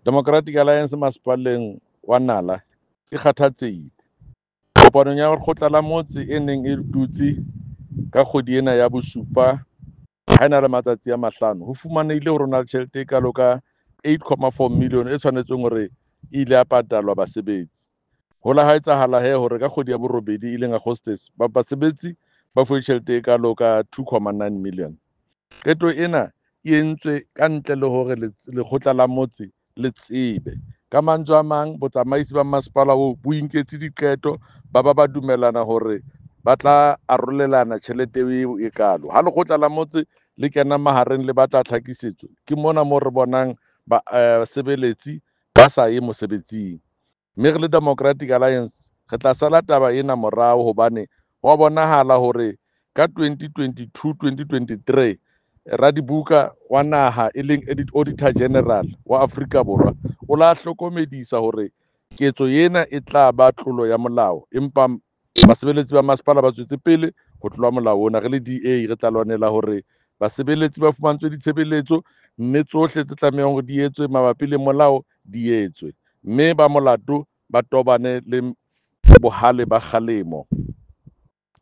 Democratic Alliance masepaleng wa Nala e kgathatsehile. Kopanong ya lekgotla la motse e neng e dutse ka kgwedi ena ya bosupa ha e na le matsatsi a 5, ho fumanehile hore ho na le tjhelete e kalo ka 8.4 million e tshwanetseng hore e ile ya patalwa basebetsi. Ho la ha etsahala he hore ka kgwedi ya borobedi e leng Augustus, ba basebetsi ba fuwe tjhelete e kalo ka 2.9 million. Qeto ena e entswe ka ntle le hore lekgotla la motse le tsebe. Ka mantswe a mang, botsamaisi ba masepala oo bo inketse diqeto, ba ba ba dumellana hore ba tla arolelana tjhelete eo e kalo. Ha lekgotla la motse le kena mahareng le batla tlhakisetso, ke mona mo re bonang basebeletsi ba sa ye mosebetsing. Mme re le Democratic Alliance re tla sala taba ena morao hobane ho a bonahala hore ka 2022-2023 radibuka wa naha e leng Auditor General wa Afrika Borwa o la hlokomedisa hore ketso ena e tla ba tlolo ya molao, empa basebeletsi ba masepala ba tswetse pele ho tlola molao ona. Re le DA re tla lwanela hore basebeletsi ba fumantshwe ditshebeletso mme tsohle tse tlamehang hore di etswe mabapi le molao di etswe, mme ba molato ba tobane le bohale ba kgalemo.